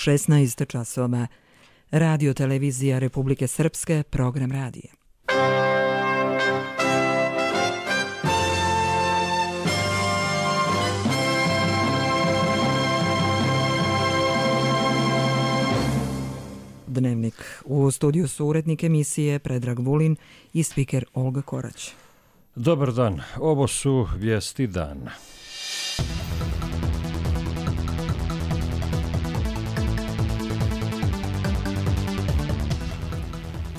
16 časova. Radio televizija Republike Srpske, program radija. Dnevnik. U studiju su urednik emisije Predrag Vulin i spiker Olga Korać. Dobar dan, ovo su vijesti dana.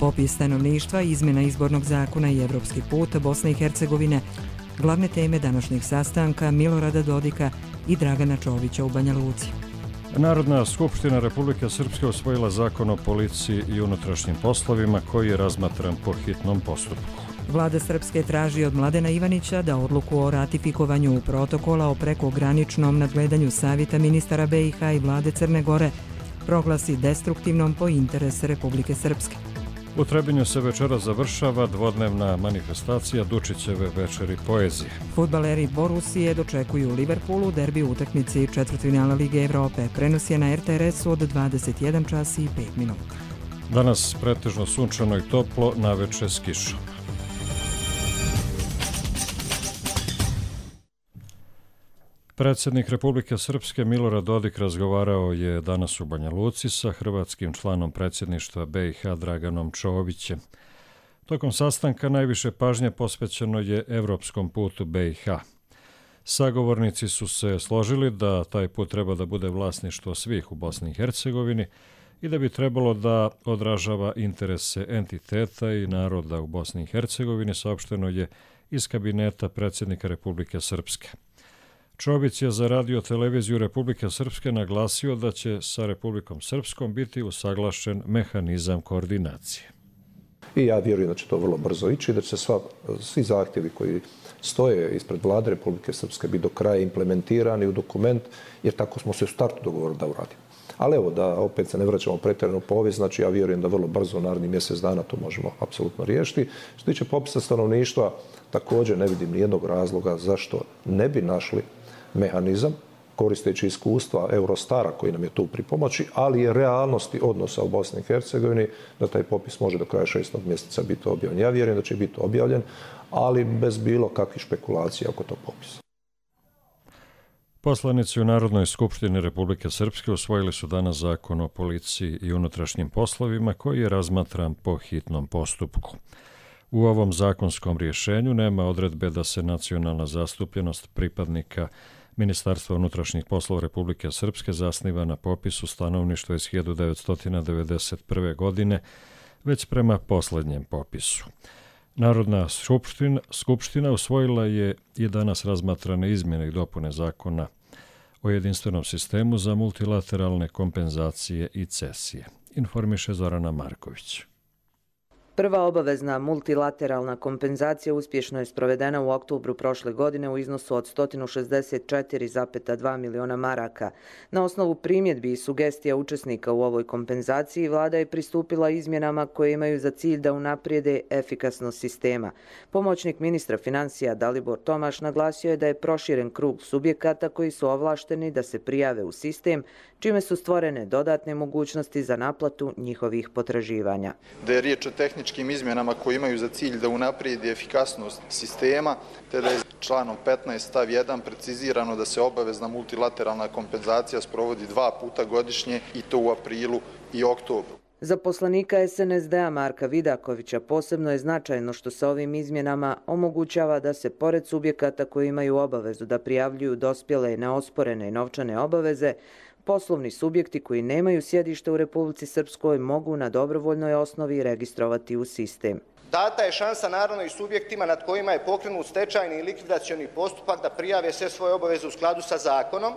Popis stanovništva, izmjena izbornog zakona i evropski put Bosne i Hercegovine, glavne teme današnjeg sastanka Milorada Dodika i Dragana Čovića u Banja Luci. Narodna skupština Republike Srpske usvojila zakon o policiji i unutrašnjim poslovima koji je razmatran po hitnom postupku. Vlada Srpske traži od Mladena Ivanića da odluku o ratifikovanju protokola o prekograničnom nadgledanju Savjeta ministara BiH i vlade Crne Gore proglasi destruktivnom po interese Republike Srpske. U Trebinju se večera završava dvodnevna manifestacija Dučićeve večeri poezije. Fudbaleri Borusije dočekuju Liverpoolu derbi u utakmici četvrtfinala Lige Evrope. Prenos je na RTRS-u od 21 čas i 5 minuta. Danas pretežno sunčano i toplo, naveče s kišom. Predsjednik Republike Srpske Milorad Dodik razgovarao je danas u Banja Luci sa hrvatskim članom predsjedništva BiH Draganom Čovićem. Tokom sastanka najviše pažnje posvećeno je evropskom putu BiH. Sagovornici su se složili da taj put treba da bude vlasništvo svih u Bosni i Hercegovini i da bi trebalo da odražava interese entiteta i naroda u Bosni i Hercegovini, saopšteno je iz kabineta predsjednika Republike Srpske. Čović je za radio televiziju Republike Srpske naglasio da će sa Republikom Srpskom biti usaglašen mehanizam koordinacije. I ja vjerujem da će to vrlo brzo ići i da će svi zahtjevi koji stoje ispred vlade Republike Srpske biti do kraja implementirani u dokument, jer tako smo se u startu dogovorili da uradimo. Ali evo, da opet se ne vraćamo pretjerano u povijest, znači ja vjerujem da vrlo brzo u narednih mjesec dana to možemo apsolutno riješiti. Što se tiče popisa stanovništva, također ne vidim nijednog razloga zašto ne bi našli mehanizam, koristeći iskustva Eurostara koji nam je tu pri pomoći, ali i realnosti odnosa u Bosni i Hercegovini, da taj popis može do kraja 6. mjeseca biti objavljen. Ja vjerujem da će biti objavljen, ali bez bilo kakvih špekulacija oko tog popisa. Poslanici u Narodnoj skupštini Republike Srpske usvojili su danas zakon o policiji i unutrašnjim poslovima koji je razmatran po hitnom postupku. U ovom zakonskom rješenju nema odredbe da se nacionalna zastupljenost pripadnika Ministarstva unutrašnjih poslova Republike Srpske zasniva na popisu stanovništva iz 1991. godine, već prema posljednjem popisu. Narodna skupština usvojila je i danas razmatrane izmjene i dopune zakona o jedinstvenom sistemu za multilateralne kompenzacije i cesije, informiše Zorana Marković. Prva obavezna multilateralna kompenzacija uspješno je sprovedena u oktobru prošle godine u iznosu od 164,2 miliona maraka. Na osnovu primjedbi i sugestija učesnika u ovoj kompenzaciji, vlada je pristupila izmjenama koje imaju za cilj da unaprijede efikasnost sistema. Pomoćnik ministra financija Dalibor Tomaš naglasio je da je proširen krug subjekata koji su ovlašteni da se prijave u sistem, čime su stvorene dodatne mogućnosti za naplatu njihovih potraživanja. Da je riječ o tehničkim izmjenama koji imaju za cilj da unaprijedi efikasnost sistema, te da je članom 15 stav 1 precizirano da se obavezna multilateralna kompenzacija sprovodi 2 puta godišnje i to u aprilu i oktobru. Za poslanika SNSD-a Marka Vidakovića posebno je značajno što se ovim izmjenama omogućava da se pored subjekata koji imaju obavezu da prijavljuju dospjele neosporene novčane obaveze, poslovni subjekti koji nemaju sjedište u Republici Srpskoj mogu na dobrovoljnoj osnovi registrovati u sistem. Data je šansa naravno i subjektima nad kojima je pokrenut stečajni i likvidacioni postupak da prijave sve svoje obaveze u skladu sa zakonom.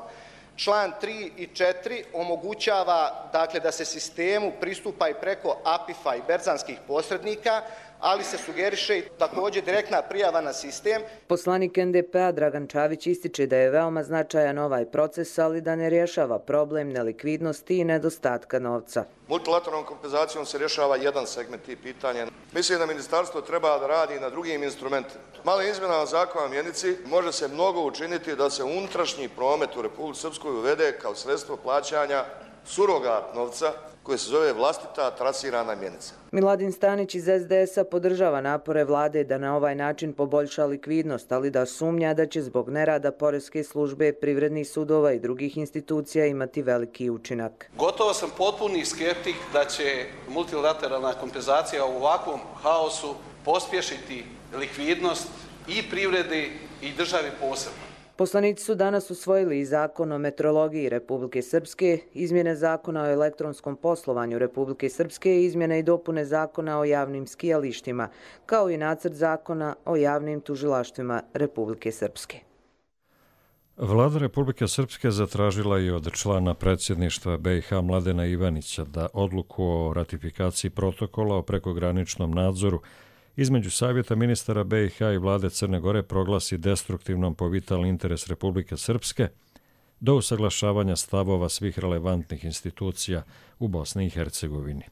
Član 3 i 4 omogućava da se sistemu pristupa i preko APIF-a i berzanskih posrednika, ali se sugeriše i također direktna prijava na sistem. Poslanik NDP-a Dragan Čović ističe da je veoma značajan ovaj proces, ali da ne rješava problem nelikvidnosti i nedostatka novca. Multilateralnom kompenzacijom se rješava jedan segment tih pitanja. Mislim da ministarstvo treba da radi na drugim instrumentima. Male izmjenama zakona o mjenici može se mnogo učiniti da se unutrašnji promet u Republici Srpskoj uvede kao sredstvo plaćanja surogat novca koje se zove vlastita trasirana mjenica. Miladin Stanić iz SDS-a podržava napore vlade da na ovaj način poboljša likvidnost, ali da sumnja da će zbog nerada poreske službe, privrednih sudova i drugih institucija imati veliki učinak. Gotovo sam potpuni skeptik da će multilateralna kompenzacija u ovakvom haosu pospješiti likvidnost i privredi i državi posebno. Poslanici su danas usvojili i zakon o metrologiji Republike Srpske, izmjene zakona o elektronskom poslovanju Republike Srpske i izmjene i dopune zakona o javnim skijalištima, kao i nacrt zakona o javnim tužilaštvima Republike Srpske. Vlada Republike Srpske zatražila je od člana predsjedništva BiH Mladena Ivanića da odluku o ratifikaciji protokola o prekograničnom nadzoru između Savjeta ministara BiH i vlade Crne Gore proglasi destruktivnom po vitalni interes Republike Srpske do usaglašavanja stavova svih relevantnih institucija u Bosni i Hercegovini.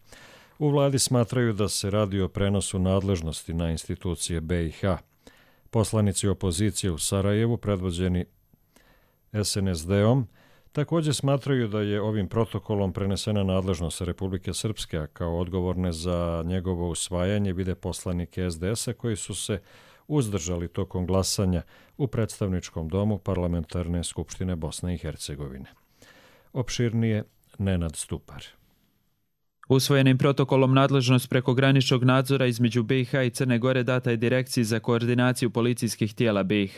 U vladi smatraju da se radi o prenosu nadležnosti na institucije BiH. Poslanici opozicije u Sarajevu, predvođeni SNSD-om, također smatraju da je ovim protokolom prenesena nadležnost Republike Srpske, a kao odgovorne za njegovo usvajanje vide poslanike SDS-a koji su se uzdržali tokom glasanja u predstavničkom domu Parlamentarne skupštine Bosne i Hercegovine. Opširnije Nenad Stupar. Usvojenim protokolom nadležnost prekograničnog nadzora između BiH i Crne Gore data je Direkciji za koordinaciju policijskih tijela BiH.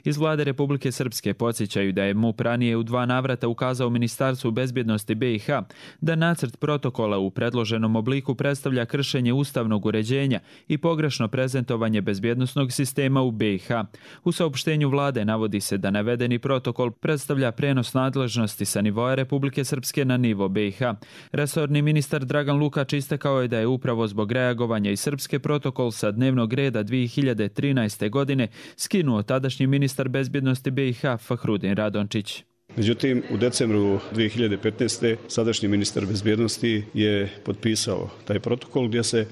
Iz vlade Republike Srpske podsjećaju da je MUP ranije u 2 navrata ukazao Ministarstvu bezbjednosti BiH da nacrt protokola u predloženom obliku predstavlja kršenje ustavnog uređenja i pogrešno prezentovanje bezbjednosnog sistema u BiH. U saopštenju vlade navodi se da navedeni protokol predstavlja prenos nadležnosti sa nivoa Republike Srpske na nivo BiH. Resorni ministar Dragan Lukač istakao je da je upravo zbog reagovanja i Srpske protokol sa dnevnog reda 2013. godine skinuo tadašnji ministar bezbjednosti BiH Fahrudin Radončić. Međutim, u decembru 2015. sadašnji ministar bezbjednosti je potpisao taj protokol gdje se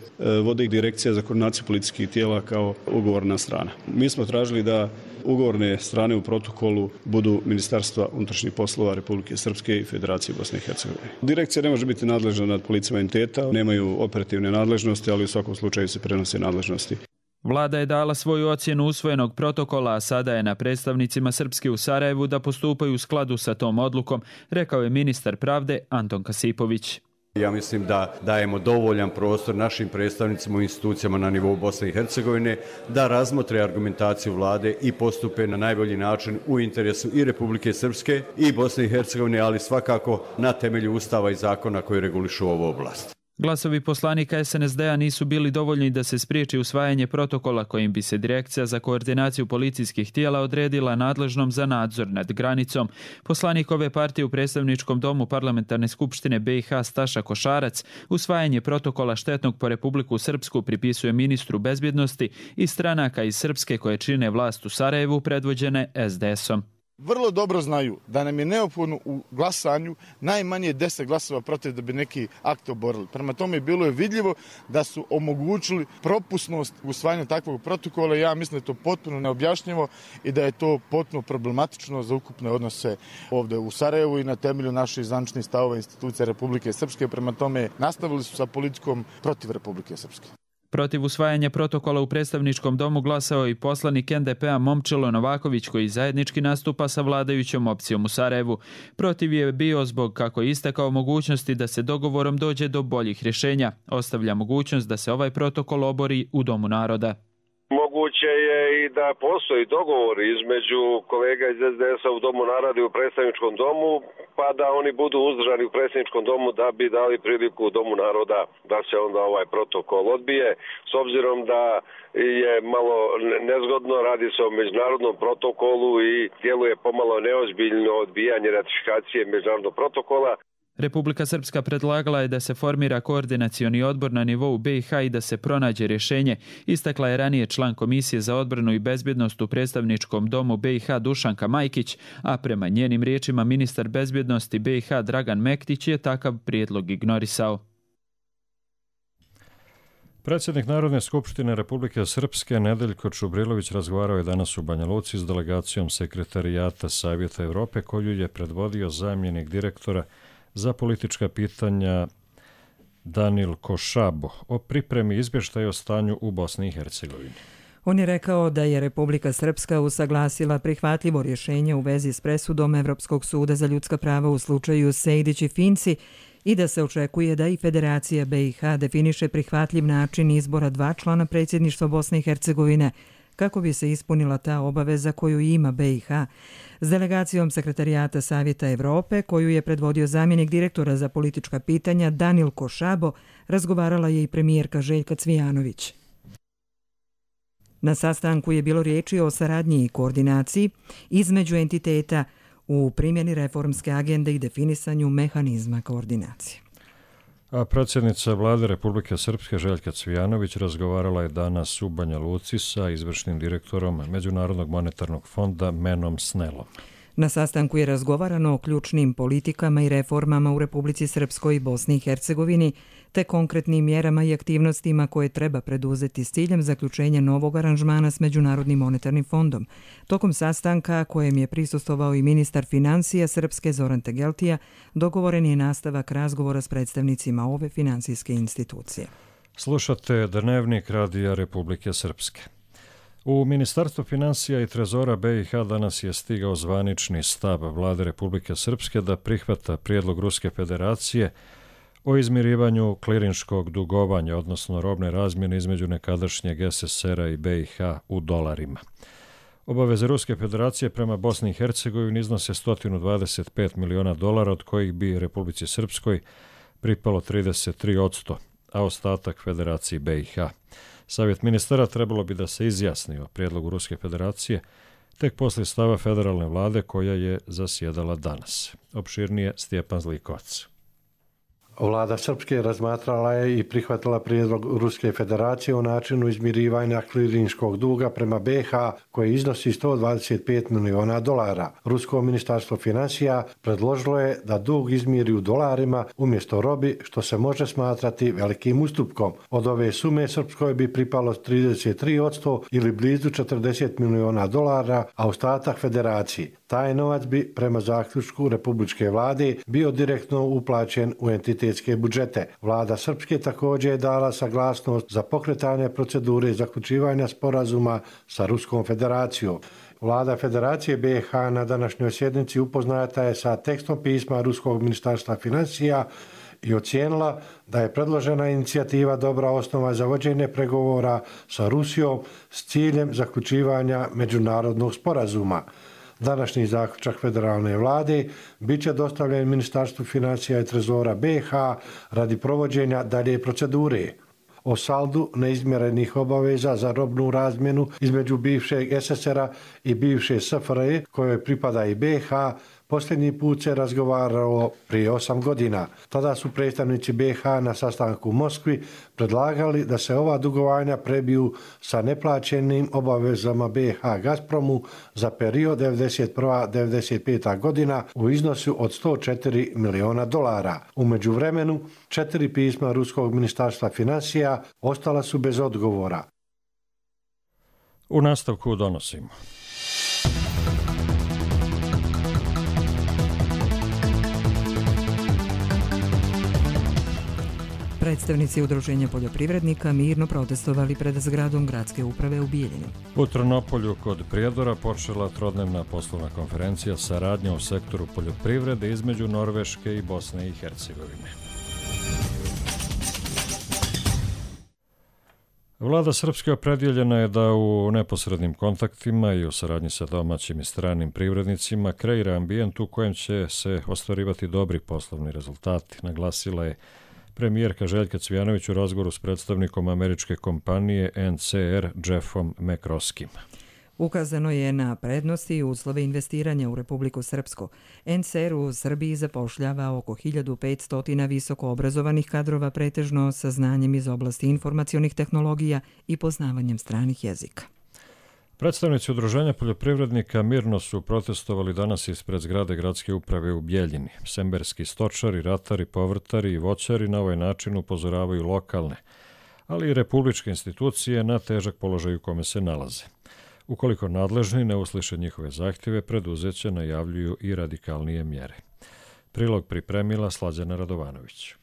vodi Direkcija za koordinaciju policijskih tijela kao ugovorna strana. Mi smo tražili da ugovorne strane u protokolu budu Ministarstva unutrašnjih poslova Republike Srpske i Federacije Bosne i Hercegovine. Direkcija ne može biti nadležna nad policijama entiteta, nemaju operativne nadležnosti, ali u svakom slučaju se prenose nadležnosti. Vlada je dala svoju ocjenu usvojenog protokola, a sada je na predstavnicima Srpske u Sarajevu da postupaju u skladu sa tom odlukom, rekao je ministar pravde Anton Kasipović. Ja mislim da dajemo dovoljan prostor našim predstavnicima u institucijama na nivou Bosne i Hercegovine da razmotre argumentaciju vlade i postupe na najbolji način u interesu i Republike Srpske i Bosne i Hercegovine, ali svakako na temelju ustava i zakona koji regulišu ovu oblast. Glasovi poslanika SNSD-a nisu bili dovoljni da se spriječi usvajanje protokola kojim bi se Direkcija za koordinaciju policijskih tijela odredila nadležnom za nadzor nad granicom. Poslanik ove partije u predstavničkom domu Parlamentarne skupštine BiH Staša Košarac usvajanje protokola štetnog po Republiku Srpsku pripisuje ministru bezbjednosti i stranaka iz Srpske koje čine vlast u Sarajevu predvođene SDS-om. Vrlo dobro znaju da nam je neophodno u glasanju najmanje 10 glasova protiv da bi neki akt oborili. Prema tome bilo je vidljivo da su omogućili propusnost usvajanja takvog protokola. Ja mislim da je to potpuno neobjašnjivo i da je to potpuno problematično za ukupne odnose ovdje u Sarajevu i na temelju naših zvaničnih stavova institucija Republike Srpske. Prema tome nastavili su sa politikom protiv Republike Srpske. Protiv usvajanja protokola u predstavničkom domu glasao i poslanik NDP-a Momčilo Novaković koji zajednički nastupa sa vladajućom opcijom u Sarajevu. Protiv je bio zbog, kako je istakao, mogućnosti da se dogovorom dođe do boljih rješenja. Ostavlja mogućnost da se ovaj protokol obori u Domu naroda. Moguće je i da postoji dogovor između kolega iz SDS-a u Domu naroda i u predstavničkom domu, pa da oni budu uzdržani u predstavničkom domu da bi dali priliku u Domu naroda da se onda ovaj protokol odbije. S obzirom da je malo nezgodno, radi se o međunarodnom protokolu i djeluje pomalo neozbiljno odbijanje ratifikacije međunarodnog protokola. Republika Srpska predlagala je da se formira koordinacioni odbor na nivou BiH i da se pronađe rješenje, istakla je ranije član Komisije za odbranu i bezbjednost u predstavničkom domu BiH Dušanka Majkić, a prema njenim riječima ministar bezbjednosti BiH Dragan Mektić je takav prijedlog ignorisao. Predsjednik Narodne skupštine Republike Srpske Nedeljko Čubrilović razgovarao je danas u Banja Luci s delegacijom Sekretarijata Savjeta Evrope koju je predvodio zamjenik direktora za politička pitanja Danil Košabo o pripremi izvještaja o stanju u Bosni i Hercegovini. On je rekao da je Republika Srpska usaglasila prihvatljivo rješenje u vezi s presudom Evropskog suda za ljudska prava u slučaju Sejdić i Finci i da se očekuje da i Federacija BiH definiše prihvatljiv način izbora 2 člana predsjedništva Bosne i Hercegovine kako bi se ispunila ta obaveza koju ima BiH. S delegacijom Sekretarijata Savjeta Evrope, koju je predvodio zamjenik direktora za politička pitanja Danil Košabo, razgovarala je i premijerka Željka Cvijanović. Na sastanku je bilo riječi o saradnji i koordinaciji između entiteta u primjeni reformske agende i definisanju mehanizma koordinacije. A predsjednica Vlade Republike Srpske Željka Cvijanović razgovarala je danas u Banja Luci sa izvršnim direktorom Međunarodnog monetarnog fonda Menom Snellom. Na sastanku je razgovarano o ključnim politikama i reformama u Republici Srpskoj i Bosni i Hercegovini, te konkretnim mjerama i aktivnostima koje treba preduzeti s ciljem zaključenja novog aranžmana s Međunarodnim monetarnim fondom. Tokom sastanka, kojem je prisustvovao i ministar financija Srpske Zoran Tegeltija, dogovoren je nastavak razgovora s predstavnicima ove financijske institucije. Slušate Dnevnik Radija Republike Srpske. U Ministarstvu financija i trezora BiH danas je stigao zvanični stav Vlade Republike Srpske da prihvata prijedlog Ruske federacije o izmirivanju klirinškog dugovanja, odnosno robne razmjene između nekadašnjeg SSR-a i BiH u dolarima. Obaveze Ruske federacije prema Bosni i Hercegovini iznose $125 miliona, od kojih bi Republici Srpskoj pripalo 33%, a ostatak Federaciji BiH. Savjet ministara trebalo bi da se izjasni o prijedlogu Ruske federacije tek poslije stava federalne vlade koja je zasjedala danas. Opširnije Stjepan Zlikovac. Vlada Srpske razmatrala je i prihvatila prijedlog Ruske federacije o načinu izmirivanja klirinškog duga prema BiH koji iznosi $125 miliona. Rusko ministarstvo financija predložilo je da dug izmiri u dolarima umjesto robi, što se može smatrati velikim ustupkom. Od ove sume Srpskoj bi pripalo 33% ili blizu $40 miliona, a ostatak federaciji. Taj novac bi prema zaključku Republičke vlade bio direktno uplaćen u entitetske budžete. Vlada Srpske također je dala saglasnost za pokretanje procedure zaključivanja sporazuma sa Ruskom federacijom. Vlada Federacije BiH na današnjoj sjednici upoznata je sa tekstom pisma Ruskog ministarstva financija i ocijenila da je predložena inicijativa dobra osnova za vođenje pregovora sa Rusijom s ciljem zaključivanja međunarodnog sporazuma. Današnji zaključak federalne vlade bit će dostavljen Ministarstvu financija i trezora BiH radi provođenja dalje procedure. O saldu neizmjerenih obaveza za robnu razmjenu između bivšeg SSR-a i bivše SFRJ, kojoj pripada i BiH, posljednji put se razgovaralo prije 8 godina. Tada su predstavnici BiH na sastanku u Moskvi predlagali da se ova dugovanja prebiju sa neplaćenim obavezama BiH Gazpromu za period 1991-1995. godina u iznosu od $104 miliona. U međuvremenu, 4 pisma Ruskog ministarstva financija ostala su bez odgovora. U nastavku donosimo. Predstavnici Udruženja poljoprivrednika mirno protestovali pred zgradom gradske uprave u Bijeljini. U Trnopolju kod Prijedora počela trodnevna poslovna konferencija saradnje u sektoru poljoprivrede između Norveške i Bosne i Hercegovine. Vlada Srpske opredjeljena je da u neposrednim kontaktima i u saradnji sa domaćim i stranim privrednicima kreira ambijent u kojem će se ostvarivati dobri poslovni rezultati, naglasila je premijerka Željka Cvijanović u razgovoru s predstavnikom američke kompanije NCR Jeffom McCroskim. Ukazano je na prednosti i uslove investiranja u Republiku Srpsku. NCR u Srbiji zapošljava oko 1500 visoko obrazovanih kadrova, pretežno sa znanjem iz oblasti informacionih tehnologija i poznavanjem stranih jezika. Predstavnici Udruženja poljoprivrednika mirno su protestovali danas ispred zgrade gradske uprave u Bijeljini. Semberski stočari, ratari, povrtari i voćari na ovaj način upozoravaju lokalne, ali i republičke institucije na težak položaj u kome se nalaze. Ukoliko nadležni ne usliše njihove zahtjeve, preduzeće najavljuju i radikalnije mjere. Prilog pripremila Slađana Radovanović.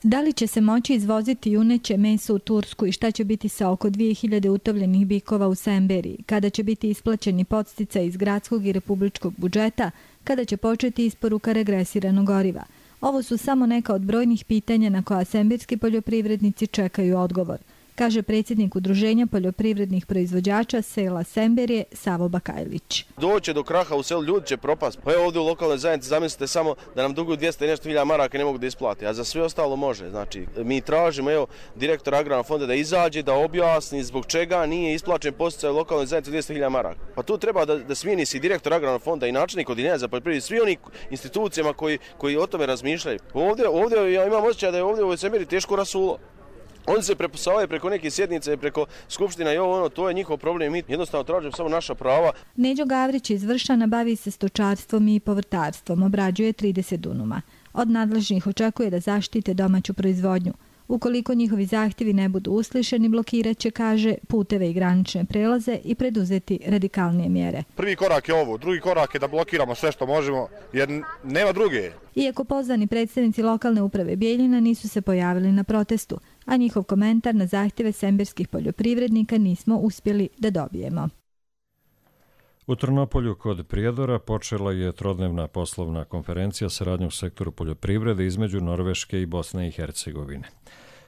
Da li će se moći izvoziti juneće meso u Tursku i šta će biti sa oko 2000 utovljenih bikova u Semberiji, kada će biti isplaćeni podsticaj iz gradskog i republičkog budžeta, kada će početi isporuka regresiranog goriva? Ovo su samo neka od brojnih pitanja na koja semberski poljoprivrednici čekaju odgovor, kaže predsjednik Udruženja poljoprivrednih proizvođača sela Semberije Savo Bakajlić. Doće do kraha u selu, ljudi će propast. Pa evo ovdje u lokalnoj zajednici zamislite samo da nam duguju 200 i nešto hiljada maraka i ne mogu da isplati, a za sve ostalo može. Znači, mi tražimo direktor Agrarnog fonda da izađe, da objasni zbog čega nije isplaćen podsticaj u lokalnoj zajednici 200 hiljada maraka. Pa tu treba da smijeni se direktor Agrarnog fonda i načelnik Odeljenja za poljoprivredu, svi oni institucijama koji o tome razmišljaju. Ovdje ja imam osjećaj da je ovdje u Semberiji teško rasulo. Oni se prepusavaju preko neke sjednice, preko skupština i to je njihov problem. Mi jednostavno tražimo samo naša prava. Neđo Gavrić iz Vršana bavi se stočarstvom i povrtarstvom, obrađuje 30 dunuma. Od nadležnih očekuje da zaštite domaću proizvodnju. Ukoliko njihovi zahtjevi ne budu uslišeni, blokiraće, kaže, puteve i granične prelaze i preduzeti radikalnije mjere. Prvi korak je ovo, drugi korak je da blokiramo sve što možemo, jer nema druge. Iako pozvani predstavnici lokalne uprave Bijeljina nisu se pojavili na protestu, a njihov komentar na zahtjeve semberskih poljoprivrednika nismo uspjeli da dobijemo. U Trnopolju kod Prijedora počela je trodnevna poslovna konferencija saradnje u sektoru poljoprivrede između Norveške i Bosne i Hercegovine.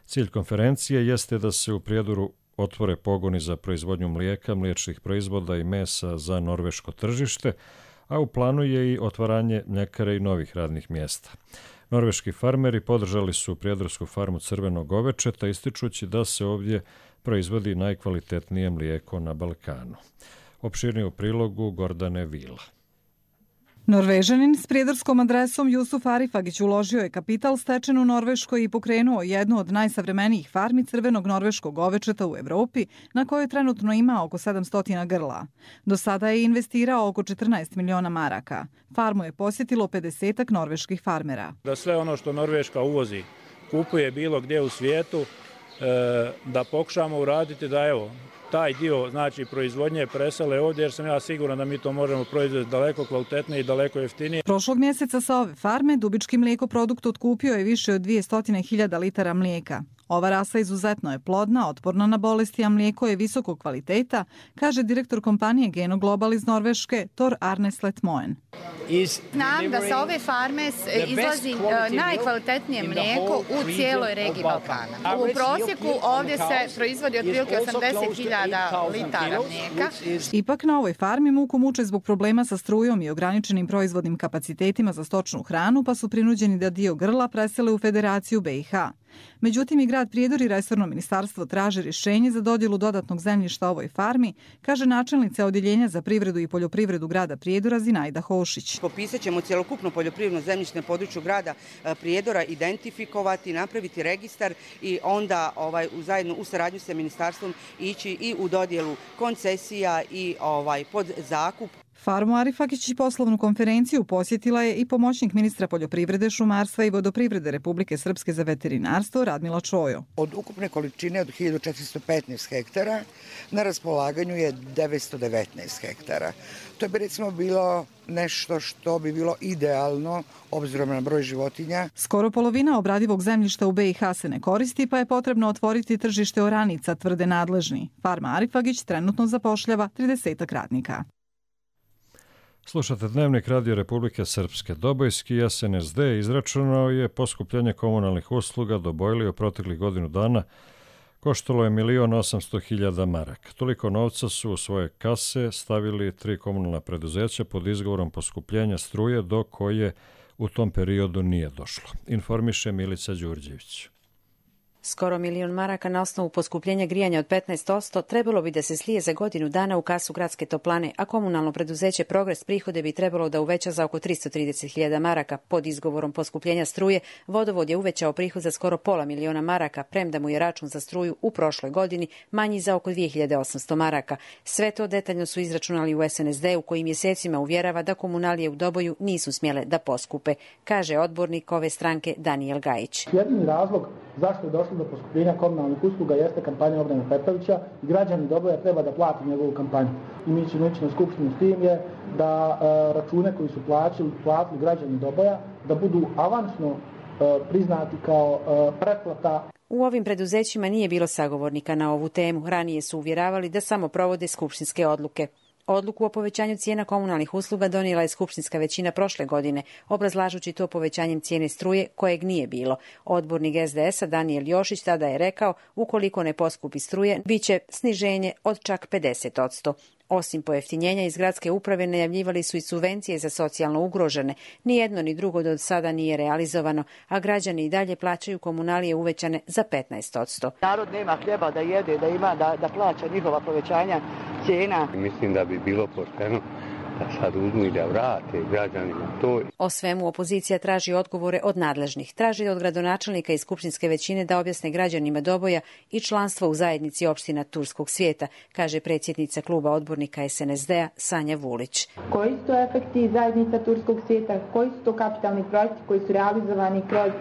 Cilj konferencije jeste da se u Prijedoru otvore pogoni za proizvodnju mlijeka, mliječnih proizvoda i mesa za norveško tržište, a u planu je i otvaranje mljekare i novih radnih mjesta. Norveški farmeri podržali su prijedorsku farmu crvenog govečeta, ističući da se ovdje proizvodi najkvalitetnije mlijeko na Balkanu. Opširnije u prilogu Gordane Vila. Norvežanin s prijedorskom adresom Jusuf Arifagić uložio je kapital stečen u Norveškoj i pokrenuo jednu od najsavremenijih farmi crvenog norveškog govečeta u Evropi, na kojoj trenutno ima oko 700 grla. Do sada je investirao oko 14 miliona maraka. Farmu je posjetilo 50-ak norveških farmera. Da sve ono što Norveška uvozi kupuje bilo gdje u svijetu, da pokušamo uraditi da taj dio proizvodnje presele ovdje, jer sam ja siguran da mi to možemo proizvesti daleko kvalitetnije i daleko jeftinije. Prošlog mjeseca sa ove farme Dubički mlijekoprodukt otkupio je više od 200.000 litara mlijeka. Ova rasa izuzetno je plodna, otporna na bolesti, a mlijeko je visokog kvaliteta, kaže direktor kompanije Geno Global iz Norveške, Tor Arne Sletmoen. Znam da sa ove farme izlazi najkvalitetnije mlijeko u cijeloj regiji Balkana. U prosjeku ovdje se proizvodi otprilike 80.000 litara mlijeka. Ipak na ovoj farmi muku muče zbog problema sa strujom i ograničenim proizvodnim kapacitetima za stočnu hranu, pa su prinuđeni da dio grla presele u Federaciju BiH. Međutim, i grad Prijedor i resorno ministarstvo traže rješenje za dodjelu dodatnog zemljišta ovoj farmi, kaže načelnica Odjeljenja za privredu i poljoprivredu grada Prijedora Zinajda Hošić. Popisat ćemo cjelokupno poljoprivredno zemljište na području grada Prijedora, identifikovati, napraviti registar i onda zajedno u saradnju sa ministarstvom ići i u dodjelu koncesija i pod zakup. Farmu Arifagić i poslovnu konferenciju posjetila je i pomoćnik ministra poljoprivrede, šumarstva i vodoprivrede Republike Srpske za veterinarstvo Radmila Čojo. Od ukupne količine od 1415 hektara na raspolaganju je 919 hektara. To bi recimo bilo nešto što bi bilo idealno obzirom na broj životinja. Skoro polovina obradivog zemljišta u BiH se ne koristi, pa je potrebno otvoriti tržište oranica, tvrde nadležni. Farma Arifagić trenutno zapošljava 30 radnika. Slušate Dnevnik Radio Republike Srpske. Dobojski SNSD izračunao je poskupljenje komunalnih usluga do Bojli u proteklih godinu dana. Koštalo je 1.800.000 maraka. Toliko novca su u svoje kase stavili 3 komunalna preduzeća pod izgovorom poskupljenja struje, do koje u tom periodu nije došlo. Informiše Milica Đurđević. Skoro 1.000.000 maraka na osnovu poskupljenja grijanja od 15% trebalo bi da se slije za godinu dana u kasu gradske toplane, a komunalno preduzeće Progres prihode bi trebalo da uveća za oko 330.000 maraka. Pod izgovorom poskupljenja struje, vodovod je uvećao prihod za skoro pola miliona maraka, premda mu je račun za struju u prošloj godini manji za oko 2.800 maraka. Sve to detaljno su izračunali u SNSD-u, koji mjesecima uvjerava da komunalije u Doboju nisu smjele da poskupe, kaže odbornik ove stranke Danijel Gajić. Jedini razlog zašto je došlo došlo do poskupljenja komunalnih usluga jeste kampanja Bogdana Petrovića i građani Doboja treba da plati njegovu kampanju. I mi ćemo ići na skupštinu s tim je da račune koji su platili građani Doboja da budu avansno priznati kao pretplata. U ovim preduzećima nije bilo sagovornika na ovu temu. Ranije su uvjeravali da samo provode skupštinske odluke. Odluku o povećanju cijena komunalnih usluga donijela je skupštinska većina prošle godine, obrazlažući to povećanjem cijene struje kojeg nije bilo. Odbornik SDS-a Danijel Jošić tada je rekao, ukoliko ne poskupi struje, bit će sniženje od čak 50%. Osim pojeftinjenja iz gradske uprave najavljivali su i subvencije za socijalno ugrožene. Ni jedno ni drugo do sada nije realizovano, a građani i dalje plaćaju komunalije uvećane za 15%. Narod nema hljeba da jede, da ima, da plaća njihova povećanja cijena. Mislim da bi bilo pošteno da sad uzmu i da vrate građanima to. O svemu opozicija traži odgovore od nadležnih. Traži od gradonačelnika i skupštinske većine da objasne građanima Doboja i članstvo u zajednici opština Turskog svijeta, kaže predsjednica kluba odbornika SNSD-a Sanja Vulić. Koji su to efekti zajednica Turskog svijeta, koji su to kapitalni projekti koji su realizovani kroz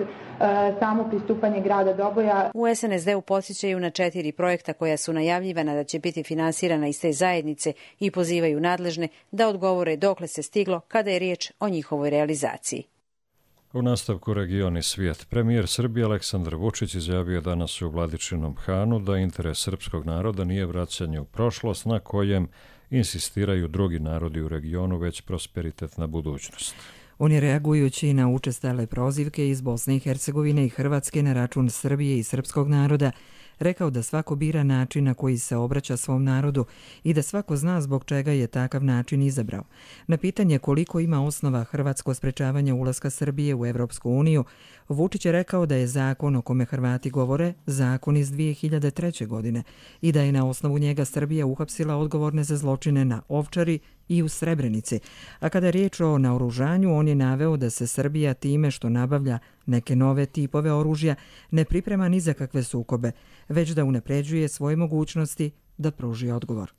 samo pristupanje grada Doboja? U SNSD-u podsjećaju na 4 projekta koja su najavljivana da će biti finansirana iz te zajednice i pozivaju nadležne da odgovore dokle se stiglo kada je riječ o njihovoj realizaciji. U nastavku Region i svijet. Premijer Srbije Aleksandar Vučić izjavio danas u Vladičinom Hanu da interes srpskog naroda nije vraćanje u prošlost na kojem insistiraju drugi narodi u regionu, već prosperitetna budućnost. On je reagujući na učestale prozivke iz Bosne i Hercegovine i Hrvatske na račun Srbije i srpskog naroda rekao da svako bira način na koji se obraća svom narodu i da svako zna zbog čega je takav način izabrao. Na pitanje koliko ima osnova hrvatsko sprečavanje ulaska Srbije u Evropsku uniju, Vučić je rekao da je zakon o kome Hrvati govore zakon iz 2003. godine i da je na osnovu njega Srbija uhapsila odgovorne za zločine na Ovčari i u Srebrenici. A kada je riječ o naoružanju, on je naveo da se Srbija time što nabavlja neke nove tipove oružja ne priprema ni za kakve sukobe, već da unapređuje svoje mogućnosti da pruži odgovor.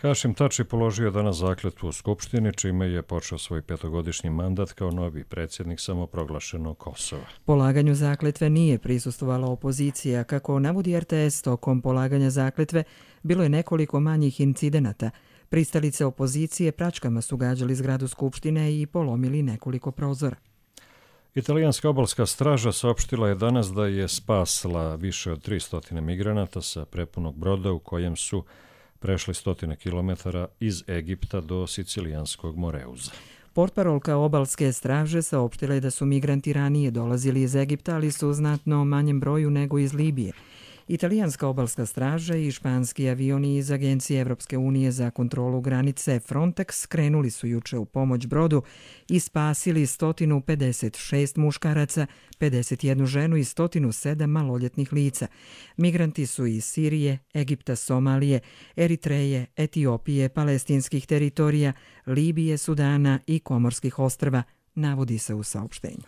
Hašim Tači položio danas zakletvu u Skupštini, čime je počeo svoj 5-godišnji mandat kao novi predsjednik samoproglašenog Kosova. Polaganju zakletve nije prisustvovala opozicija. Kako navodi RTS, tokom polaganja zakletve bilo je nekoliko manjih incidenata. Pristalice opozicije pračkama su gađali zgradu Skupštine i polomili nekoliko prozora. Italijanska obalska straža saopštila je danas da je spasla više od 300 migranata sa prepunog broda u kojem su prešli 100 kilometara iz Egipta do Sicilijanskog Moreuza. Portparolka obalske straže saopštila je da su migranti ranije dolazili iz Egipta, ali su u znatno manjem broju nego iz Libije. Italijanska obalska straža i španski avioni iz Agencije Evropske unije za kontrolu granice Frontex krenuli su juče u pomoć brodu i spasili 156 muškaraca, 51 ženu i 107 maloljetnih lica. Migranti su iz Sirije, Egipta, Somalije, Eritreje, Etiopije, palestinskih teritorija, Libije, Sudana i Komorskih ostrva, navodi se u saopštenju.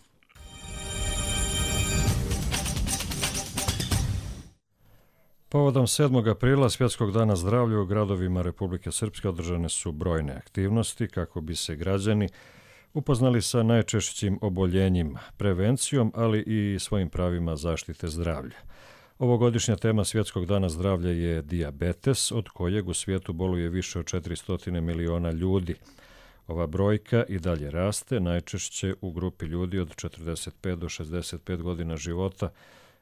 Povodom 7. aprila, Svjetskog dana zdravlja, u gradovima Republike Srpske održane su brojne aktivnosti kako bi se građani upoznali sa najčešćim oboljenjima, prevencijom, ali i svojim pravima zaštite zdravlja. Ovogodišnja tema Svjetskog dana zdravlja je dijabetes, od kojeg u svijetu boluje više od 400 miliona ljudi. Ova brojka i dalje raste, najčešće u grupi ljudi od 45 do 65 godina života,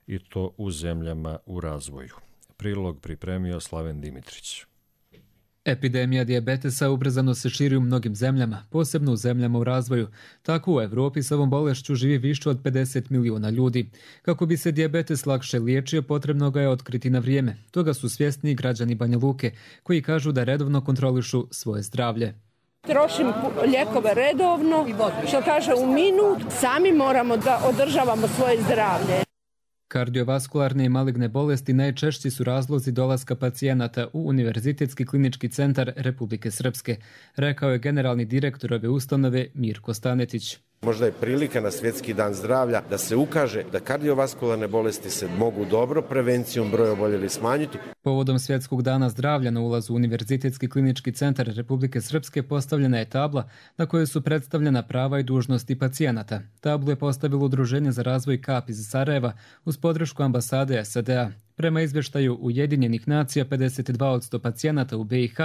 i to u zemljama u razvoju. Prilog pripremio Slaven Dimitrić. Epidemija dijabetesa ubrzano se širi u mnogim zemljama, posebno u zemljama u razvoju. Tako u Evropi s ovom bolešću živi više od 50 miliona ljudi. Kako bi se dijabetes lakše liječio, potrebno ga je otkriti na vrijeme. Toga su svjesni građani Banja Luke, koji kažu da redovno kontrolišu svoje zdravlje. Trošim lijekove redovno, što kaže u minut, sami moramo da održavamo svoje zdravlje. Kardiovaskularne i maligne bolesti najčešći su razlozi dolaska pacijenata u Univerzitetski klinički centar Republike Srpske, rekao je generalni direktor ove ustanove Mirko Stanetić. Možda je prilika na Svjetski dan zdravlja da se ukaže da kardiovaskularne bolesti se mogu dobro prevencijom broja oboljelih smanjiti. Povodom Svjetskog dana zdravlja na ulazu u Univerzitetski klinički centar Republike Srpske postavljena je tabla na kojoj su predstavljena prava i dužnosti pacijenata. Tablu je postavilo Udruženje za razvoj KAP iz Sarajeva uz podršku ambasade SAD-a. Prema izvještaju Ujedinjenih nacija, 52% pacijenata u BiH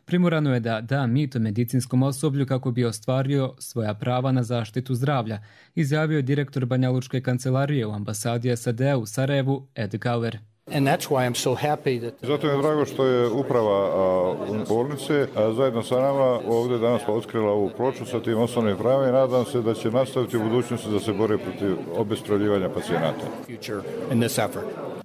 primorano je da da mito medicinskom osoblju kako bi ostvario svoja prava na zaštitu zdravlja, izjavio je direktor Banjalučke kancelarije u ambasadi SAD-a u Sarajevu, Ed Gauer. Zato mi je drago što je uprava bolnice zajedno sa nama ovdje danas otkrila ovu ploču sa tim osnovnim pravima i nadam se da će nastaviti u budućnosti da se bore protiv obespravljivanja pacijenata.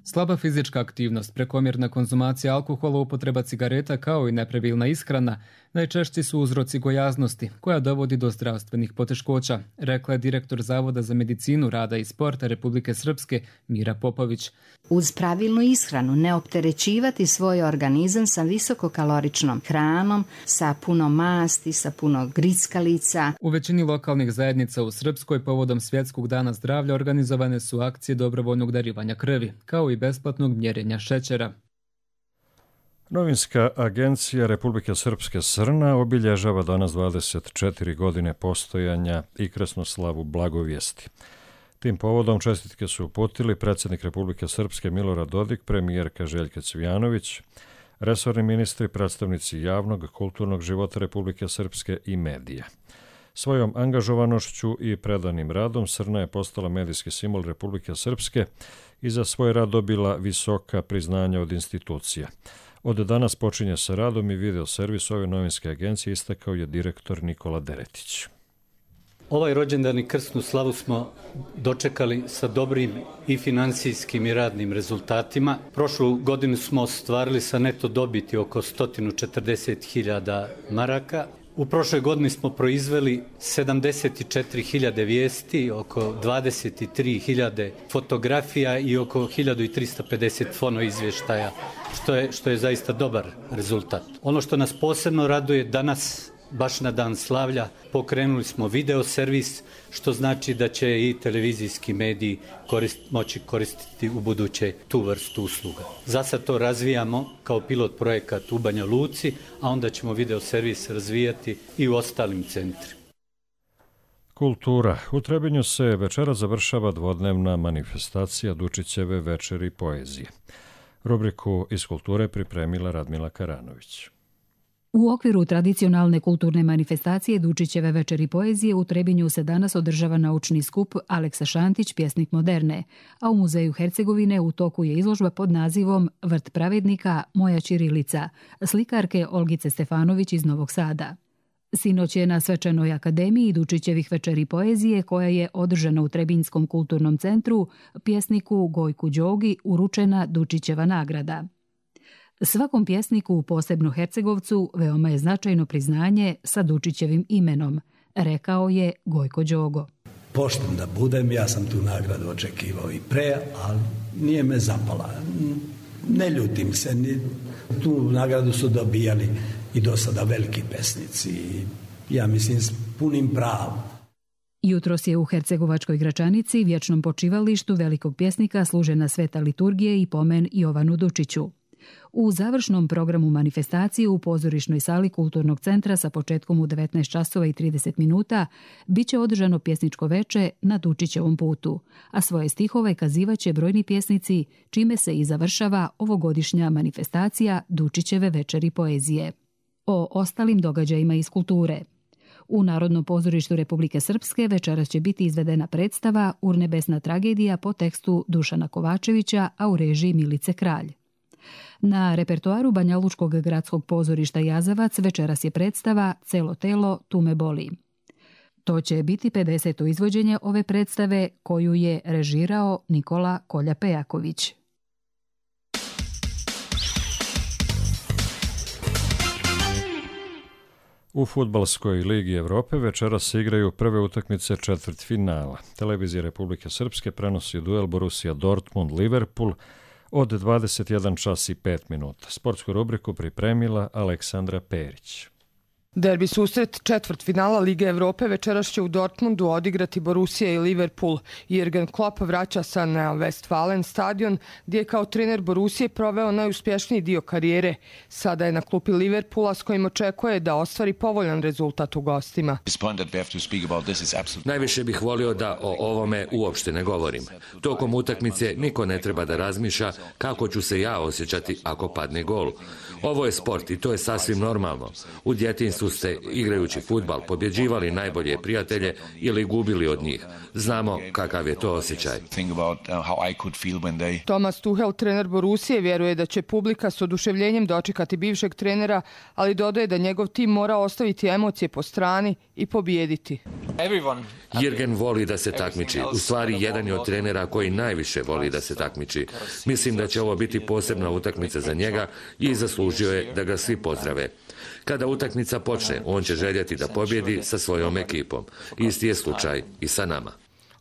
Slaba fizička aktivnost, prekomjerna konzumacija alkohola, upotreba cigareta kao i nepravilna ishrana najčešći su uzroci gojaznosti koja dovodi do zdravstvenih poteškoća, rekla je direktor Zavoda za medicinu, rada i sporta Republike Srpske Mira Popović. Uz pravilnu ishranu ne opterećivati svoj organizam sa visokokaloričnom hranom, sa puno masti, sa puno grickalica. U većini lokalnih zajednica u Srpskoj povodom Svjetskog dana zdravlja organizovane su akcije dobrovoljnog darivanja krvi, kao i besplatnog mjerenja šećera. Novinska agencija Republike Srpske Srna obilježava danas 24 godine postojanja i krsnoslavu Blagovijesti. Tim povodom čestitke su uputili predsjednik Republike Srpske Milorad Dodik, premijerka Željka Cvijanović, resorni ministri, predstavnici javnog, kulturnog života Republike Srpske i medija. Svojom angažovanošću i predanim radom Srna je postala medijski simbol Republike Srpske i za svoj rad dobila visoka priznanja od institucija. Od danas počinje sa radom i video servis ove novinske agencije, istakao je direktor Nikola Deretić. Ovaj rođendan i krsnu slavu smo dočekali sa dobrim i finansijskim i radnim rezultatima. Prošlu godinu smo ostvarili sa neto dobiti oko 140.000 maraka. U prošloj godini smo proizveli 74.000 vijesti, oko 23.000 fotografija i oko 1.350 fono izvještaja, što je zaista dobar rezultat. Ono što nas posebno raduje danas, baš na dan slavlja, pokrenuli smo video servis, što znači da će i televizijski mediji moći koristiti u buduće tu vrstu usluga. Za sad to razvijamo kao pilot projekat u Banja Luci, a onda ćemo video servis razvijati i u ostalim centrima. Kultura. U Trebinju se večera završava dvodnevna manifestacija Dučićeve večeri poezije. Rubriku iz kulture pripremila Radmila Karanović. U okviru tradicionalne kulturne manifestacije Dučićeve večeri poezije u Trebinju se danas održava naučni skup Aleksa Šantić, pjesnik moderne, a u Muzeju Hercegovine u toku je izložba pod nazivom Vrt pravednika, moja ćirilica, slikarke Olgice Stefanović iz Novog Sada. Sinoć je na svečanoj akademiji Dučićevih večeri poezije, koja je održana u Trebinjskom kulturnom centru, pjesniku Gojku Đogi uručena Dučićeva nagrada. Svakom pjesniku, posebno Hercegovcu, veoma je značajno priznanje sa Dučićevim imenom, rekao je Gojko Đogo. Pošten da budem, ja sam tu nagradu očekivao i pre, ali nije me zapala. Ne ljutim se, tu nagradu su dobijali i do sada veliki pesnici, ja mislim s punim pravom. Jutros je u Hercegovačkoj Gračanici, vječnom počivalištu velikog pjesnika, služena sveta liturgije i pomen Jovanu Dučiću. U završnom programu manifestacije u pozorišnoj sali Kulturnog centra sa početkom u 19 časova i 30 minuta biće održano pjesničko veče na Dučićevom putu, a svoje stihove kazivaće brojni pjesnici, čime se i završava ovogodišnja manifestacija Dučićeve večeri poezije. O ostalim događajima iz kulture. U Narodnom pozorištu Republike Srpske večeras će biti izvedena predstava Urnebesna tragedija po tekstu Dušana Kovačevića, a u režiji Milice Kralj. Na repertoaru Banjalučkog gradskog pozorišta Jazavac večeras je predstava Celo telo tu me boli. To će biti 50. izvođenje ove predstave koju je režirao Nikola Kolja-Pejaković. U Fudbalskoj ligi Evrope večeras se igraju prve utakmice četvrtfinala. Televizija Republike Srpske prenosi duel Borussia Dortmund-Liverpool od 21 čas i 5 minuta. Sportsku rubriku pripremila Aleksandra Perić. Derbi susret četvrtfinala Lige Evrope večeras će u Dortmundu odigrati Borussia i Liverpool. Jürgen Klopp vraća se na Westfalen stadion gdje je kao trener Borussije proveo najuspješniji dio karijere. Sada je na klupi Liverpoola s kojim očekuje da ostvari povoljan rezultat u gostima. Najviše bih volio da o ovome uopšte ne govorim. Tokom utakmice niko ne treba da razmišlja kako ću se ja osjećati ako padne gol. Ovo je sport i to je sasvim normalno. U djetinjstvu ste, igrajući fudbal, pobjeđivali najbolje prijatelje ili gubili od njih. Znamo kakav je to osjećaj. Thomas Tuchel, trener Borussije, vjeruje da će publika s oduševljenjem dočekati bivšeg trenera, ali dodaje da njegov tim mora ostaviti emocije po strani i pobijediti. Jürgen voli da se takmiči. U stvari, jedan je od trenera koji najviše voli da se takmiči. Mislim da će ovo biti posebna utakmica za njega i zaslužio je da ga svi pozdrave. Kada utakmica počne, on će željeti da pobjedi sa svojom ekipom. Isti je slučaj i sa nama.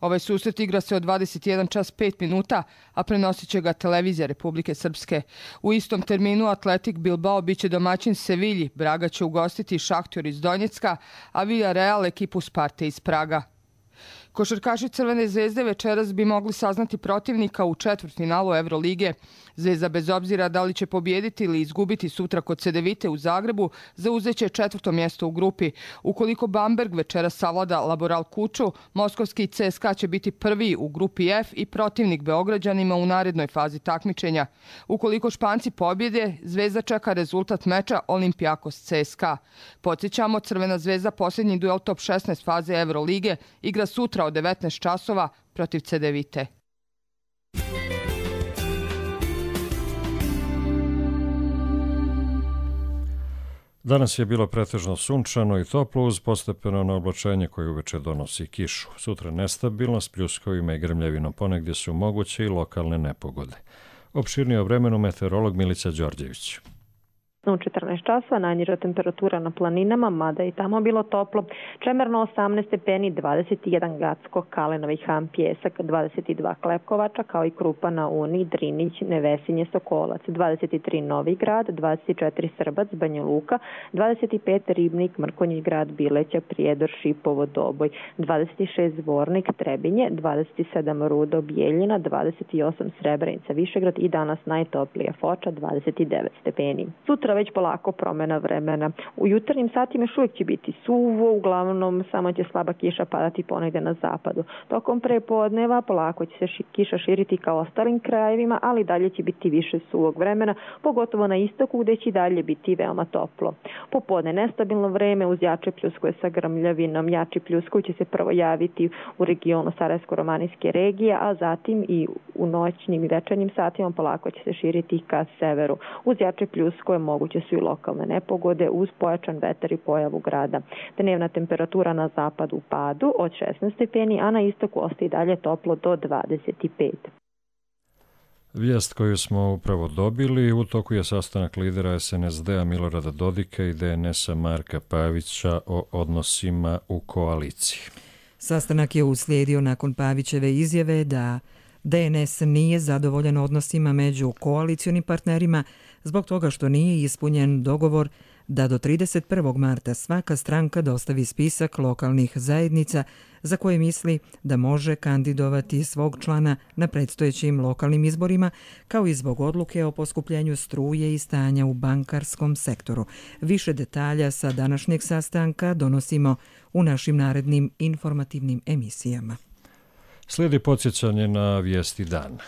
Ovaj susret igra se od 21:05, a prenosit će ga televizija Republike Srpske. U istom terminu Atletik Bilbao biće domaćin Sevilji, Braga će ugostiti Šahtjor iz Donjecka, a Villarreal ekipu Sparte iz Praga. Košarkaši Crvene zvezde večeras bi mogli saznati protivnika u četvrtfinalu Evrolige. Zvezda, bez obzira da li će pobijediti ili izgubiti sutra kod Cedevite u Zagrebu, zauzeće 4. mjesto u grupi. Ukoliko Bamberg večeras savlada Laboral Kuču, moskovski CSKA će biti prvi u grupi F i protivnik Beograđanima u narednoj fazi takmičenja. Ukoliko Španci pobjede, Zvezda čeka rezultat meča Olympiakos CSKA. Podsjećamo, Crvena zvezda posljednji duel top 16 faze Evrolige igra sutra od 19 časova protiv Cedevite. Danas je bilo pretežno sunčano i toplo uz postepeno oblačenje koje uveče donosi kišu. Sutra nestabilno s pljuskovima i grmljavinom, ponegdje su moguće i lokalne nepogode. Opširnije o vremenu meteorolog Milica Đorđević. U 14 časova najniža temperatura na planinama, mada i tamo bilo toplo. Čemerno 18 stepeni, 21 Gacko, Kalenovi Han, Pjesak, 22 Klepkovača, kao i Krupa na Uni, Drinić, Nevesinje, Sokolac, 23 Novi Grad, 24 Srbac, Banja Luka, 25 Ribnik, Mrkonjić Grad, Bileća, Prijedor, Šipovo, Doboj, 26 Zvornik, Trebinje, 27 Rudo, Bijeljina, 28 Srebrenica, Višegrad i danas najtoplija Foča, 29 stepeni. Sutra već polako promjena vremena. U jutarnjim satima još uvijek će biti suvo, uglavnom samo će slaba kiša padati ponegdje na zapadu. Tokom prepodneva polako će se kiša širiti kao ostalim krajevima, ali dalje će biti više suvog vremena, pogotovo na istoku gdje će dalje biti veoma toplo. Popodne nestabilno vreme uz jače pljuskove sa grmljavinom. Jači pljuskovi će se prvo javiti u regionu Sarajevsko-romanijske regije, a zatim i u noćnim i večernjim satima polako će se širiti ka severu. Uz jače pljuskove moguće su i lokalne nepogode uz pojačan vetar i pojavu grada. Dnevna temperatura na zapadu u padu od 16 stepeni, a na istoku ostaje dalje toplo do 25. Vijest koju smo upravo dobili, u toku je sastanak lidera SNSD-a Milorada Dodika i DNS-a Marka Pavića o odnosima u koaliciji. Sastanak je uslijedio nakon Pavićeve izjave da DNS nije zadovoljan odnosima među koalicionim partnerima zbog toga što nije ispunjen dogovor da do 31. marta svaka stranka dostavi spisak lokalnih zajednica za koje misli da može kandidovati svog člana na predstojećim lokalnim izborima, kao i zbog odluke o poskupljenju struje i stanja u bankarskom sektoru. Više detalja sa današnjeg sastanka donosimo u našim narednim informativnim emisijama. Slijedi podsjećanje na vijesti dana.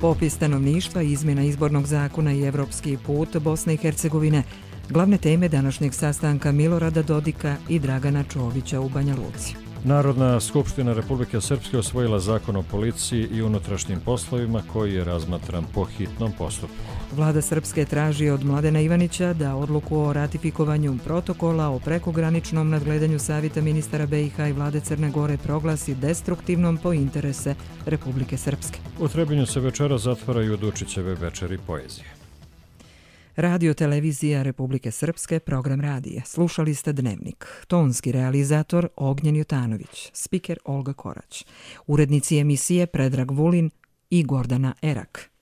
Popis stanovništva, izmjena izbornog zakona i evropski put Bosne i Hercegovine, glavne teme današnjeg sastanka Milorada Dodika i Dragana Čovića u Banja Luci. Narodna skupština Republike Srpske osvojila zakon o policiji i unutrašnjim poslovima koji je razmatran po hitnom postupku. Vlada Srpske traži od Mladena Ivanića da odluku o ratifikovanju protokola o prekograničnom nadgledanju Savjeta ministara BiH i Vlade Crne Gore proglasi destruktivnom po interese Republike Srpske. U Trebinju se večera zatvaraju Dučićeve večeri poezije. Radio Televizija Republike Srpske, program radija. Slušali ste Dnevnik. Tonski realizator Ognjen Jotanović, spiker Olga Korać. Urednici emisije Predrag Vulin i Gordana Erak.